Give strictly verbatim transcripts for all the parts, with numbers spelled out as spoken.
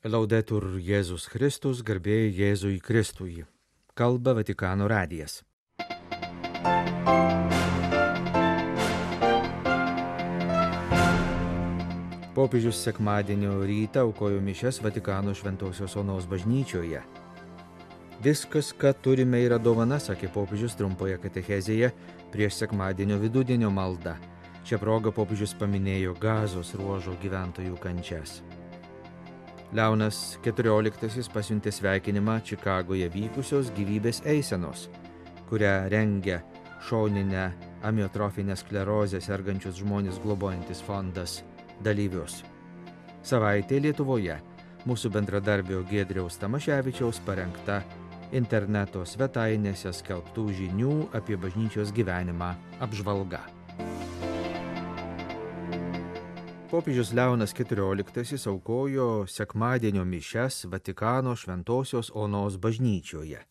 Laudetur Jėzus Kristus, garbė Jėzui Kristui. Kalba Vatikano radijas. Popiežius sekmadienio rytą aukojo mišias Vatikano Šventosios Onos bažnyčioje. Viskas, ką turime, yra dovana, sakė popiežius trumpoje katechezėje prieš sekmadienio vidudienio maldą. Šią progą popiežius paminėjo Gazos ruožo gyventojų kančias. Leonas keturioliktasis pasiuntė sveikinimą Čikagoje vykusios gyvybės eisenos, kurią rengia šoninę amiotrofinę sklerozę sergančius žmonės globojantis fondas dalyvius. Savaitė Lietuvoje mūsų bendradarbio Giedriaus Tamaševičiaus parengta interneto svetainėse skelbtų žinių apie bažnyčios gyvenimą apžvalga. Popiežius Leonas keturioliktasis aukojo sekmadienio mišias Vatikano Šventosios Onos bažnyčioje.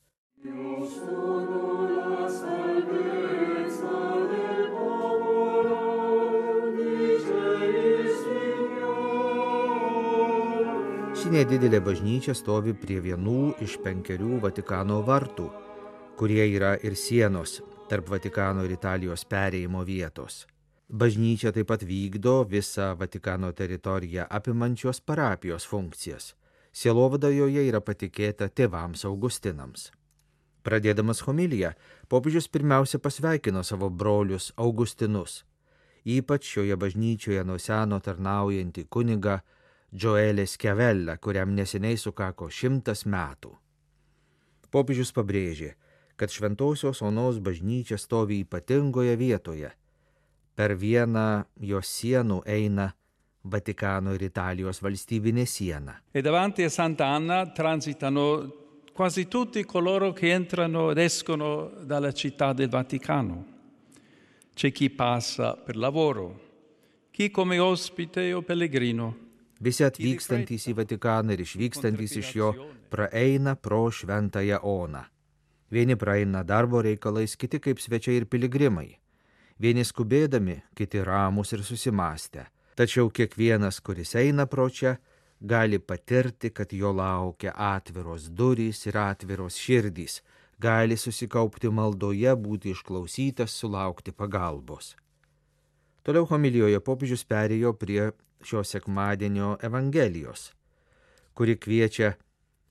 Ši nedidelė bažnyčia stovi prie vienų iš penkerių Vatikano vartų, kurie yra ir sienos tarp Vatikano ir Italijos perėjimo vietos. Bažnyčia taip pat vykdo visą Vatikano teritoriją apimančios parapijos funkcijas. Sielovada joje yra patikėta tėvams Augustinams. Pradėdamas homiliją, popiežius pirmiausia pasveikino savo brolius Augustinus, ypač šioje bažnyčioje nuo seno tarnaujantį kunigą Gioele Schiavella, kuriam neseniai sukako šimtas metų. Popiežius pabrėžė, kad Šventosios Onos bažnyčia stovi ypatingoje vietoje. Per vieną jos sienų eina Vatikano ir Italijos valstybinė siena. E davanti a Santa Anna transitano quasi tutti coloro che entrano ed escono dalla città del Vaticano. C'è chi passa per lavoro, chi come ospite o pellegrino. Visi atvykstantys į Vatikaną ir išvykstantys iš jo praeina pro Šventąją Oną. Vieni praeina darbo reikalais, kiti kaip svečiai ir piligrimai. Vieni skubėdami, kiti ramus ir susimąstę. Tačiau kiekvienas, kuris eina pro čia, gali patirti, kad jo laukia atviros durys ir atviros širdys, gali susikaupti maldoje, būti išklausytas, sulaukti pagalbos. Toliau homilijoje popiežius perėjo prie šio sekmadienio Evangelijos, kuri kviečia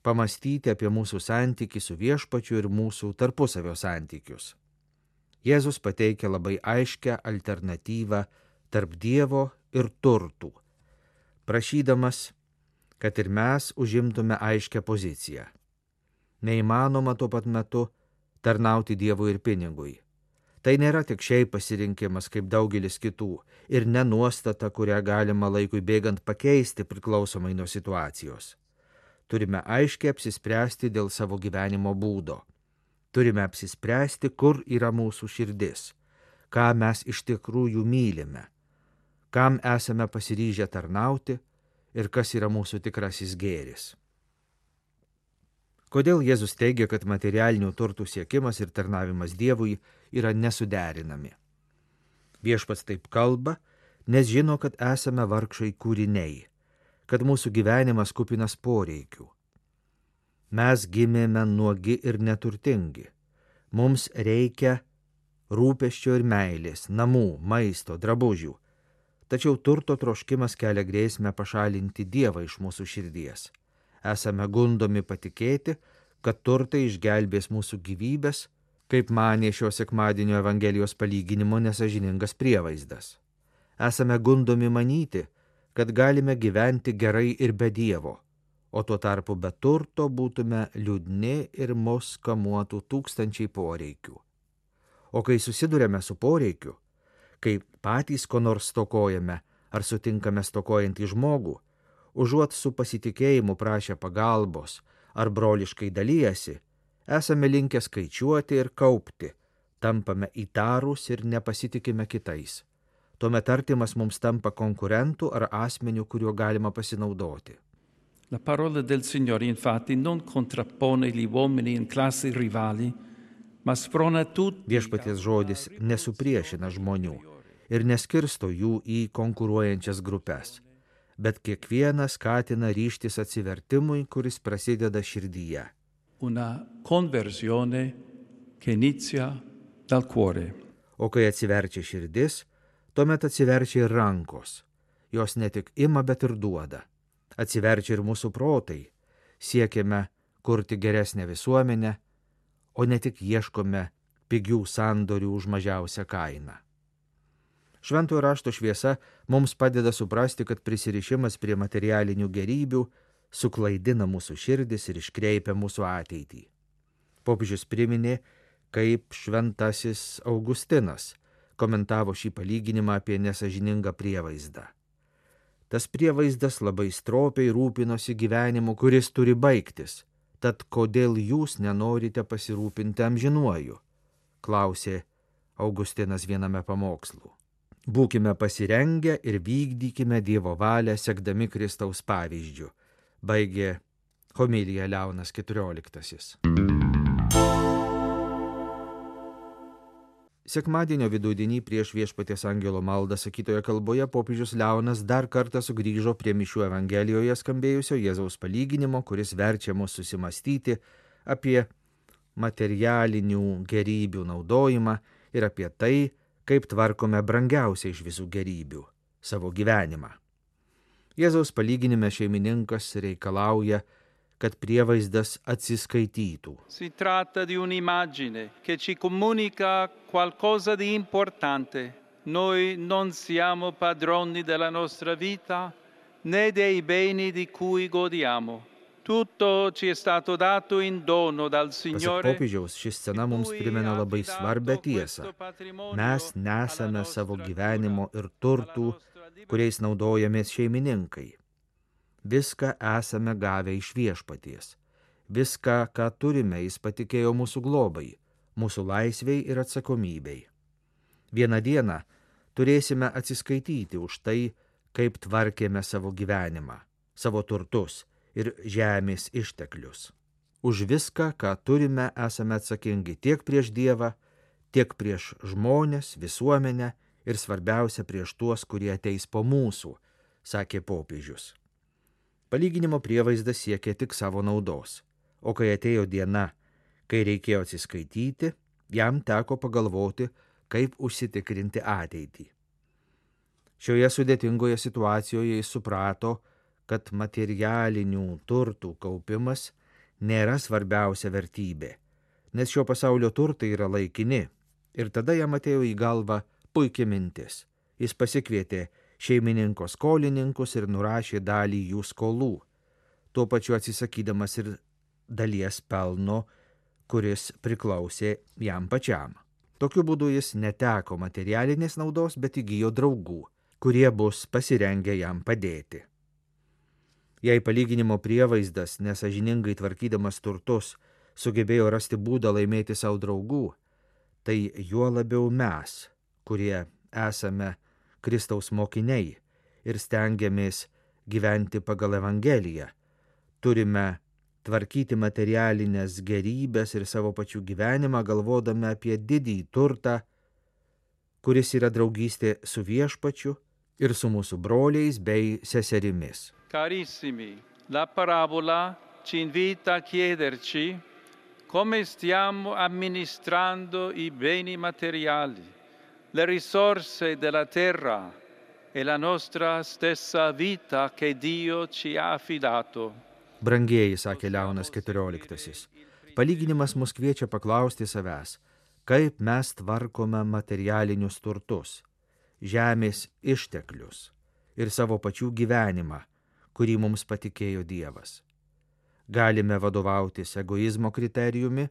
pamastyti apie mūsų santykį su viešpačiu ir mūsų tarpusavio santykius. Jėzus pateikia labai aiškę alternatyvą tarp Dievo ir turtų, prašydamas, kad ir mes užimtume aiškę poziciją. Neįmanoma tuo pat metu tarnauti Dievui ir pinigui. Tai nėra tik šiaip pasirinkimas kaip daugelis kitų ir ne nuostata, kurią galima laikui bėgant pakeisti priklausomai nuo situacijos. Turime aiškiai apsispręsti dėl savo gyvenimo būdo. Turime apsispręsti, kur yra mūsų širdis, ką mes iš tikrųjų mylime, kam esame pasiryžę tarnauti ir kas yra mūsų tikrasis gėris. Kodėl Jėzus teigia, kad materialinių turtų siekimas ir tarnavimas Dievui yra nesuderinami? Viešpats taip kalba, nes žino, kad esame vargšai kūriniai, kad mūsų gyvenimas kupinas poreikių. Mes gimėme nuogi ir neturtingi. Mums reikia rūpesčio ir meilės, namų, maisto, drabužių. Tačiau turto troškimas kelia grėsmę pašalinti Dievą iš mūsų širdies. Esame gundomi patikėti, kad turtai išgelbės mūsų gyvybės, kaip manė šio sekmadienio Evangelijos palyginimo nesažiningas prievaizdas. Esame gundomi manyti, kad galime gyventi gerai ir be Dievo, o tuo tarpu be turto būtume liūdni ir mus kamuotų tūkstančiai poreikių. O kai susidurėme su poreikiu, kai patys ko nors stokojame ar sutinkame stokojantį žmogų, užuot su pasitikėjimu prašę pagalbos ar broliškai dalyjasi, esame linkę skaičiuoti ir kaupti, tampame įtarūs ir nepasitikime kitais. Tuomet artimas mums tampa konkurentų ar asmeniu, kuriuo galima pasinaudoti. La parola del Signore infatti non contrappone gli uomini in classi rivali, ma sprona tutti. Viešpaties žodis nesupriešina žmonių ir neskirsto jų į konkuruojančias grupes, bet kiekvieną skatina ryžtis atsivertimui, kuris prasideda širdyje. Una conversione che inizia dal cuore. O kai atsiverčia širdis, tuomet atsiverčia ir rankos. Jos ne tik ima, bet ir duoda. Atsiverčia ir mūsų protai. Siekiame kurti geresnę visuomenę, o ne tik ieškome pigių sandorių už mažiausią kainą. Šventojo rašto šviesa mums padeda suprasti, kad prisirišimas prie materialinių gerybių suklaidina mūsų širdis ir iškreipia mūsų ateitį. Popiežius priminė, kaip šventasis Augustinas komentavo šį palyginimą apie nesažiningą prievaizdą. Tas prievaizdas labai stropiai rūpinosi gyvenimu, kuris turi baigtis. Tad kodėl jūs nenorite pasirūpinti amžinuoju? Klausė Augustinas viename pamokslų. Būkime pasirengę ir vykdykime Dievo valią, sekdami Kristaus pavyzdžiu, baigė homilija Leonas keturioliktasis. Sekmadienio vidudienį prieš Viešpaties angelo maldą sakytoje kalboje popiežius Leonas dar kartą sugrįžo prie mišių Evangelijoje skambėjusio Jėzaus palyginimo, kuris verčia mus susimastyti apie materialinių gerybių naudojimą ir apie tai, kaip tvarkome brangiausią iš visų gerybių – savo gyvenimą. Jėzaus palyginime šeimininkas reikalauja, kad prievaizdas atsiskaitytų. Si tratta di un'immagine che ci comunica qualcosa di importante. Noi non siamo padroni della nostra vita né dei beni di cui godiamo. Tutto ci è stato dato in dono dal Signore. Pasak popiežiaus, ši scena mums primena labai svarbią tiesą. Mes nesame savo gyvenimo ir turtų, kuriais naudojamės šeimininkai. Viską esame gavę iš Viešpaties. Viską, ką turime, jis patikėjo mūsų globai, mūsų laisvei ir atsakomybei. Vieną dieną turėsime atsiskaityti už tai, kaip tvarkėme savo gyvenimą, savo turtus ir žemės išteklius. Už viską, ką turime, esame atsakingi tiek prieš Dievą, tiek prieš žmones, visuomenę ir svarbiausia prieš tuos, kurie ateis po mūsų, sakė popiežius. Palyginimo prievaizdas siekė tik savo naudos, o kai atėjo diena, kai reikėjo atsiskaityti, jam teko pagalvoti, kaip užsitikrinti ateitį. Šioje sudėtingoje situacijoje jis suprato, kad materialinių turtų kaupimas nėra svarbiausia vertybė, nes šio pasaulio turtai yra laikini, ir tada jam atėjo į galvą puikia mintis. Jis pasikvietė šeimininko skolininkus ir nurašė dalį jų skolų, tuo pačiu atsisakydamas ir dalies pelno, kuris priklausė jam pačiam. Tokiu būdu jis neteko materialinės naudos, bet įgijo draugų, kurie bus pasirengę jam padėti. Jei palyginimo prievaizdas, nesažiningai tvarkydamas turtus, sugebėjo rasti būdą laimėti savo draugų, tai juo labiau mes, kurie esame Kristaus mokiniai ir stengiamės gyventi pagal Evangeliją, turime tvarkyti materialinės gerybės ir savo pačių gyvenimą, galvodami apie didįjį turtą, kuris yra draugystė su Viešpačiu ir su mūsų broliais bei seserimis. Carissimi, la parabola ci invita a chiederci come stiamo amministrando i beni materiali, le risorse della terra e la nostra stessa vita che Dio ci ha affidato. Brangieji, sakė Leonas keturioliktasis, palyginimas mus kviečia paklausti savęs, kaip mes tvarkome materialinius turtus, žemės išteklius ir savo pačių gyvenimą, kurį mums patikėjo Dievas. Galime vadovautis egoizmo kriterijumi,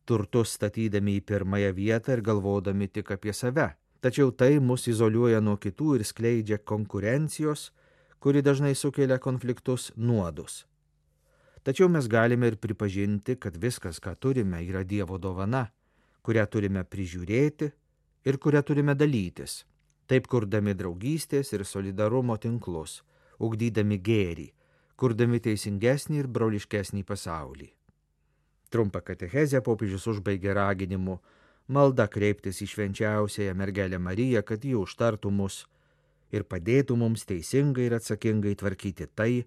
turtus statydami į pirmąją vietą ir galvodami tik apie save. Tačiau tai mus izoliuoja nuo kitų ir skleidžia konkurencijos, kuri dažnai sukelia konfliktus, nuodus. Tačiau mes galime ir pripažinti, kad viskas, ką turime, yra Dievo dovana, kurią turime prižiūrėti ir kurią turime dalytis, taip kurdami draugystės ir solidarumo tinklus, ugdydami gėrį, kurdami teisingesnį ir broliškesnį pasaulį. Trumpą katechezę popiežius užbaigė raginimu malda kreiptis į švenčiausiąją mergelę Mariją, kad ji užtartų mus ir padėtų mums teisingai ir atsakingai tvarkyti tai,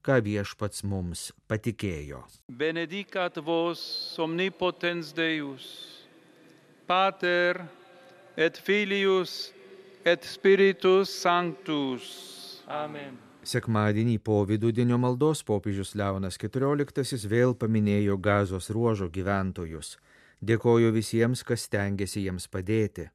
ką Viešpats mums patikėjo. Benedicat vos omnipotens Deus, Pater et Filius et Spiritus Sanctus. Amen. Sekmadienį po vidudienio maldos popiežius Leonas keturioliktasis vėl paminėjo Gazos ruožo gyventojus. Dėkoju visiems, kas stengiasi jiems padėti.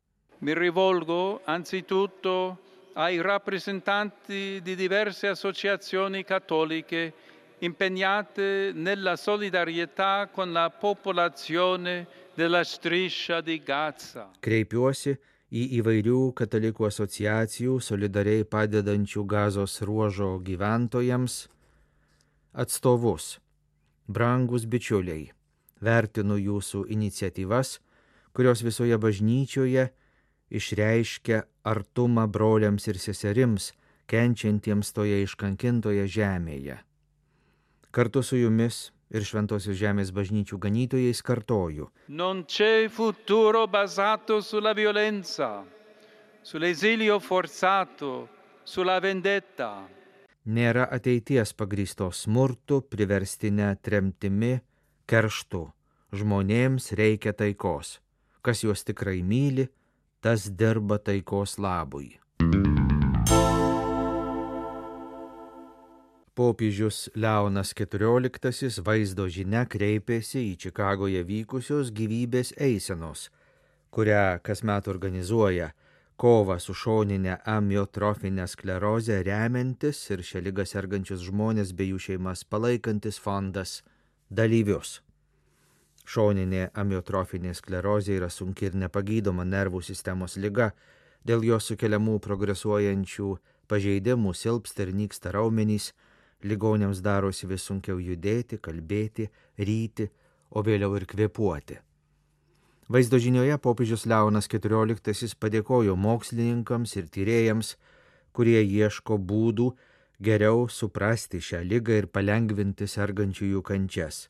Mi rivolgo anzitutto ai rappresentanti di diverse associazioni cattoliche impegnate nella solidarietà con la popolazione della striscia di Gaza. Kreipiuosi į įvairių katalikų asociacijų solidariai padedančių Gazos ruožo gyventojams atstovus. Brangus bičiuliai, vertinu jūsų iniciatyvas, kurios visoje bažnyčioje išreiškia artumą broliams ir seserims, kenčiantiems toje iškankintoje žemėje. Kartu su jumis ir Šventosios žemės bažnyčių ganytojais kartoju. Non c'è futuro basato sulla violenza, sull'esilio forzato, sulla vendetta. Nėra ateities pagrįstos smurtu, priverstinė tremtimi, kerštu. Žmonėms reikia taikos. Kas juos tikrai myli, tas dirba taikos labui. Popiežius Leonas keturioliktasis vaizdo žinia kreipėsi į Čikagoje vykusios gyvybės eisenos, kurią kasmet organizuoja kovą su šoninė amiotrofinė sklerozė remiantis ir šią ligą sergančius žmonės bei jų šeimas palaikantis fondas dalyvius. Šoninė amiotrofinė sklerozė yra sunki ir nepagydoma nervų sistemos liga, dėl jos sukeliamų progresuojančių pažeidimų silpsta ir nyksta raumenys, ligoniams darosi vis sunkiau judėti, kalbėti, ryti, o vėliau ir kvėpuoti. Vaizdo žinioje popiežius Leonas keturioliktasis padėkojo mokslininkams ir tyrėjams, kurie ieško būdų geriau suprasti šią ligą ir palengvinti sergančiųjų kančias.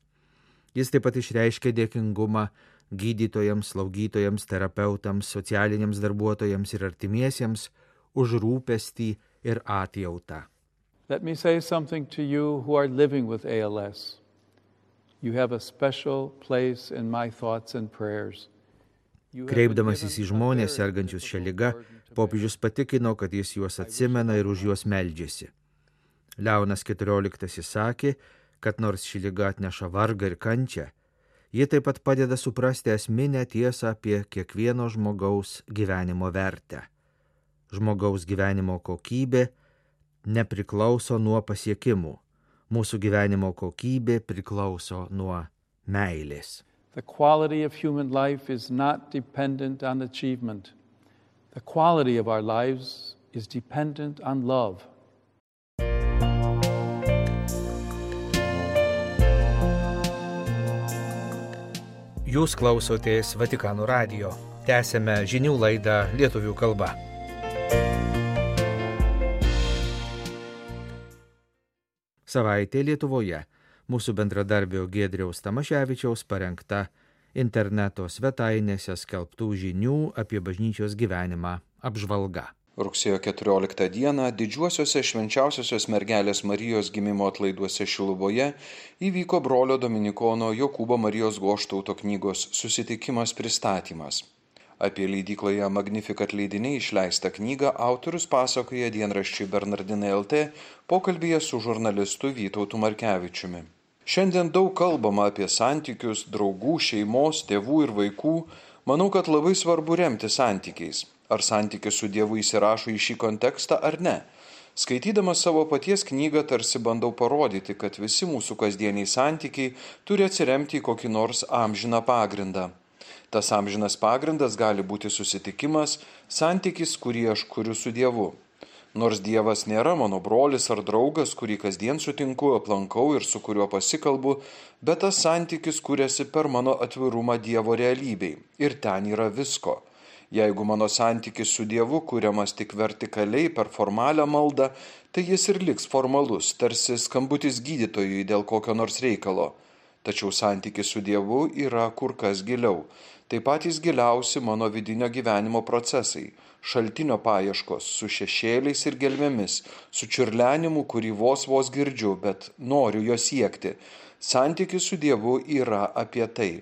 Jis taip pat išreiškė dėkingumą gydytojams, slaugytojams, terapeutams, socialiniams darbuotojams ir artimiesiems už rūpestį ir atjautą. Let me say something to you who are living with A L S. You have a special place in my thoughts and prayers. Kreipdamasis į žmonės sergančius šią ligą, popiežius patikino, kad jis juos atsimena ir už juos meldžiasi. Leonas keturioliktasis sakė, kad nors ši liga atneša vargą ir kančią, ji taip pat padeda suprasti esminę tiesą apie kiekvieno žmogaus gyvenimo vertę. Žmogaus gyvenimo kokybė nepriklauso nuo pasiekimų. Mūsų gyvenimo kokybė priklauso nuo meilės. The quality of human life is not dependent on achievement. The quality of our lives is dependent on love. Jūs klausotės Vatikano radijo. Tęsėme žinių laidą lietuvių kalba. Savaitė Lietuvoje. Mūsų bendradarbio Giedriaus Tamaševičiaus parengta interneto svetainėse skelbtų žinių apie bažnyčios gyvenimą apžvalga. Rugsėjo keturioliktą dieną didžiuosiuose švenčiausiosios mergelės Marijos gimimo atlaiduose Šiluvoje įvyko brolio dominikono Jokūbo Marijos Goštauto knygos Susitikimas pristatymas. Apie leidykloje Magnificat leidiniai išleistą knygą autorius pasakoja dienraščiui Bernardinai L T pokalbyje su žurnalistu Vytautu Markevičiumi. Šiandien daug kalbama apie santykius, draugų, šeimos, tėvų ir vaikų. Manau, kad labai svarbu remti santykiais. Ar santykis su Dievu įsirašo į šį kontekstą ar ne? Skaitydamas savo paties knygą tarsi bandau parodyti, kad visi mūsų kasdieniai santykiai turi atsiremti į kokį nors amžiną pagrindą. Tas amžinas pagrindas gali būti susitikimas, santykis, kurį aš kuriu su Dievu. Nors Dievas nėra mano brolis ar draugas, kurį kasdien sutinku, aplankau ir su kuriuo pasikalbu, bet tas santykis kuriasi per mano atvirumą Dievo realybei. Ir ten yra visko. Jeigu mano santykis su Dievu kuriamas tik vertikaliai per formalią maldą, tai jis ir liks formalus, tarsi skambutis gydytojui dėl kokio nors reikalo. tačiau santykis su Dievu yra kur kas giliau. Tai patys giliausi mano vidinio gyvenimo procesai, šaltinio paieškos su šešėliais ir gelmėmis, su čiurlenimu, kurį vos vos girdžiu, bet noriu jo siekti. Santykis su Dievu yra apie tai.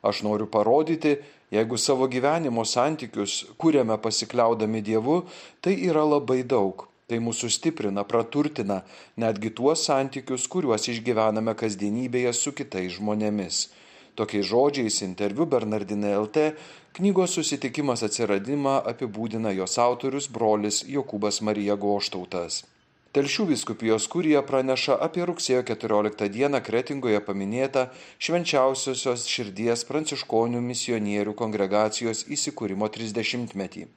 Aš noriu parodyti, jeigu savo gyvenimo santykius kuriame pasikliaudami Dievu, tai yra labai daug. Tai mūsų stiprina, praturtina netgi tuos santykius, kuriuos išgyvename kasdienybėje su kitais žmonėmis. Tokiais žodžiais interviu Bernardinai L T knygos Susitikimas atsiradimą apibūdina jos autorius brolis Jokūbas Marija Goštautas. Telšių vyskupijos kurija praneša apie rugsėjo keturioliktą dieną Kretingoje paminėtą Švenčiausiosios širdies pranciškonių misionierių kongregacijos įsikūrimo trisdešimtmetį.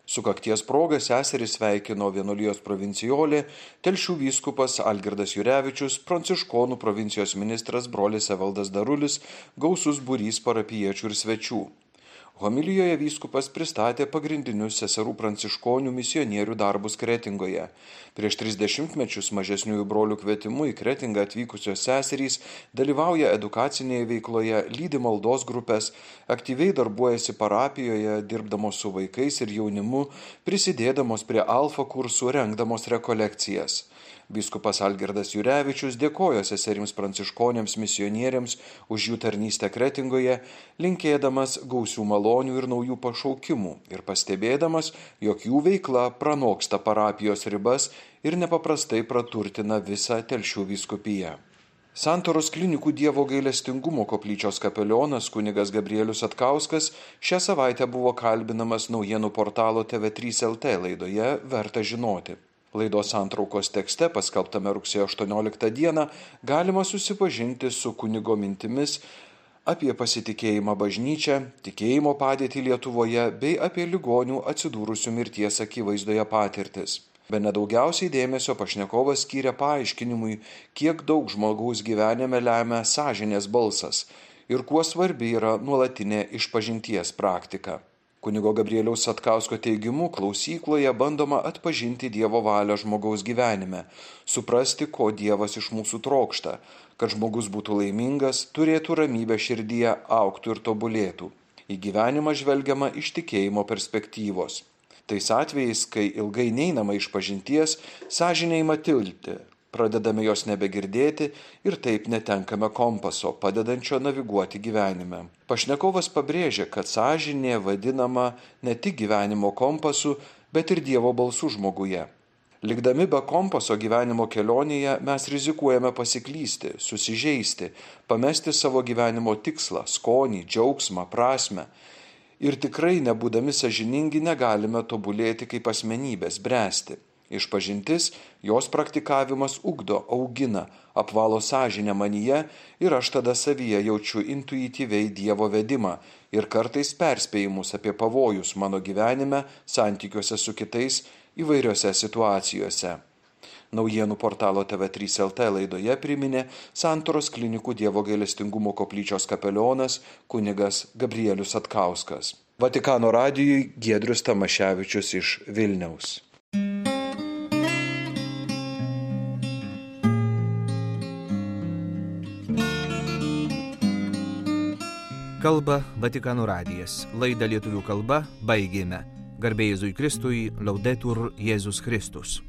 Sukakties proga seserį sveikino vienuolijos provincijolė, Telšių vyskupas Algirdas Jurevičius, pranciškonų provincijos ministras brolis Evaldas Darulis, gausus būrys parapijiečių ir svečių. Homilijoje vyskupas pristatė pagrindinius seserų pranciškonių misionierių darbus Kretingoje. Prieš tris dešimtmečius mažesniųjų brolių kvetimu į Kretingą atvykusios seserys dalyvauja edukacinėje veikloje, lydi maldos grupės, aktyviai darbuojasi parapijoje, dirbdamos su vaikais ir jaunimu, prisidėdamos prie alfa kursų, rengdamos rekolekcijas. Vyskupas Algirdas Jurevičius dėkojo seserims pranciškonėms misionieriams už jų tarnystę Kretingoje, linkėdamas gausių malonių ir naujų pašaukimų ir pastebėdamas, jog jų veikla pranoksta parapijos ribas ir nepaprastai praturtina visą Telšių vyskupiją. Santaros klinikų Dievo gailestingumo koplyčios kapelionas kunigas Gabrielius Atkauskas šią savaitę buvo kalbinamas naujienų portalo T V trys L T laidoje Verta žinoti. Laidos santraukos tekste, paskelbtame rugsėjo aštuonioliktą dieną, galima susipažinti su kunigo mintimis apie pasitikėjimą bažnyčią, tikėjimo padėtį Lietuvoje bei apie ligonių atsidūrusių mirties akivaizdoje patirtis. Bene daugiausiai dėmesio pašnekovas skyrė paaiškinimui, kiek daug žmogaus gyvenime lemia sąžinės balsas ir kuo svarbi yra nuolatinė išpažinties praktika. Kunigo Gabrieliaus Atkausko teigimu, klausykloje bandoma atpažinti Dievo valią žmogaus gyvenime, suprasti, ko Dievas iš mūsų trokšta, kad žmogus būtų laimingas, turėtų ramybę širdyje, augtų ir tobulėtų. Į gyvenimą žvelgiama iš tikėjimo perspektyvos. Tais atvejais, kai ilgai neinama išpažinties, sąžinė ima tilpti. Pradedame jos nebegirdėti ir taip netenkame kompaso, padedančio naviguoti gyvenime. Pašnekovas pabrėžė, kad sąžinė vadinama ne tik gyvenimo kompasu, bet ir Dievo balsu žmoguje. Likdami be kompaso gyvenimo kelionėje mes rizikuojame pasiklysti, susižeisti, pamesti savo gyvenimo tikslą, skonį, džiaugsmą, prasmę. Ir tikrai nebūdami sąžiningi negalime tobulėti kaip asmenybės, bręsti. Išpažintis, jos praktikavimas ugdo, augina, apvalo sąžinę manyje ir aš tada savyje jaučiu intuityviai Dievo vedimą ir kartais perspėjimus apie pavojus mano gyvenime, santykiuose su kitais įvairiose situacijose. Naujienų portalo T V trys L T laidoje priminė Santaros klinikų Dievo gailestingumo koplyčios kapelionas kunigas Gabrielius Atkauskas. Vatikano radijui Giedrius Tamaševičius iš Vilniaus. Kalba Vatikano radijas. Laidą lietuvių kalba baigėme. Garbė Jėzui Kristui, Laudetur Jėzus Kristus.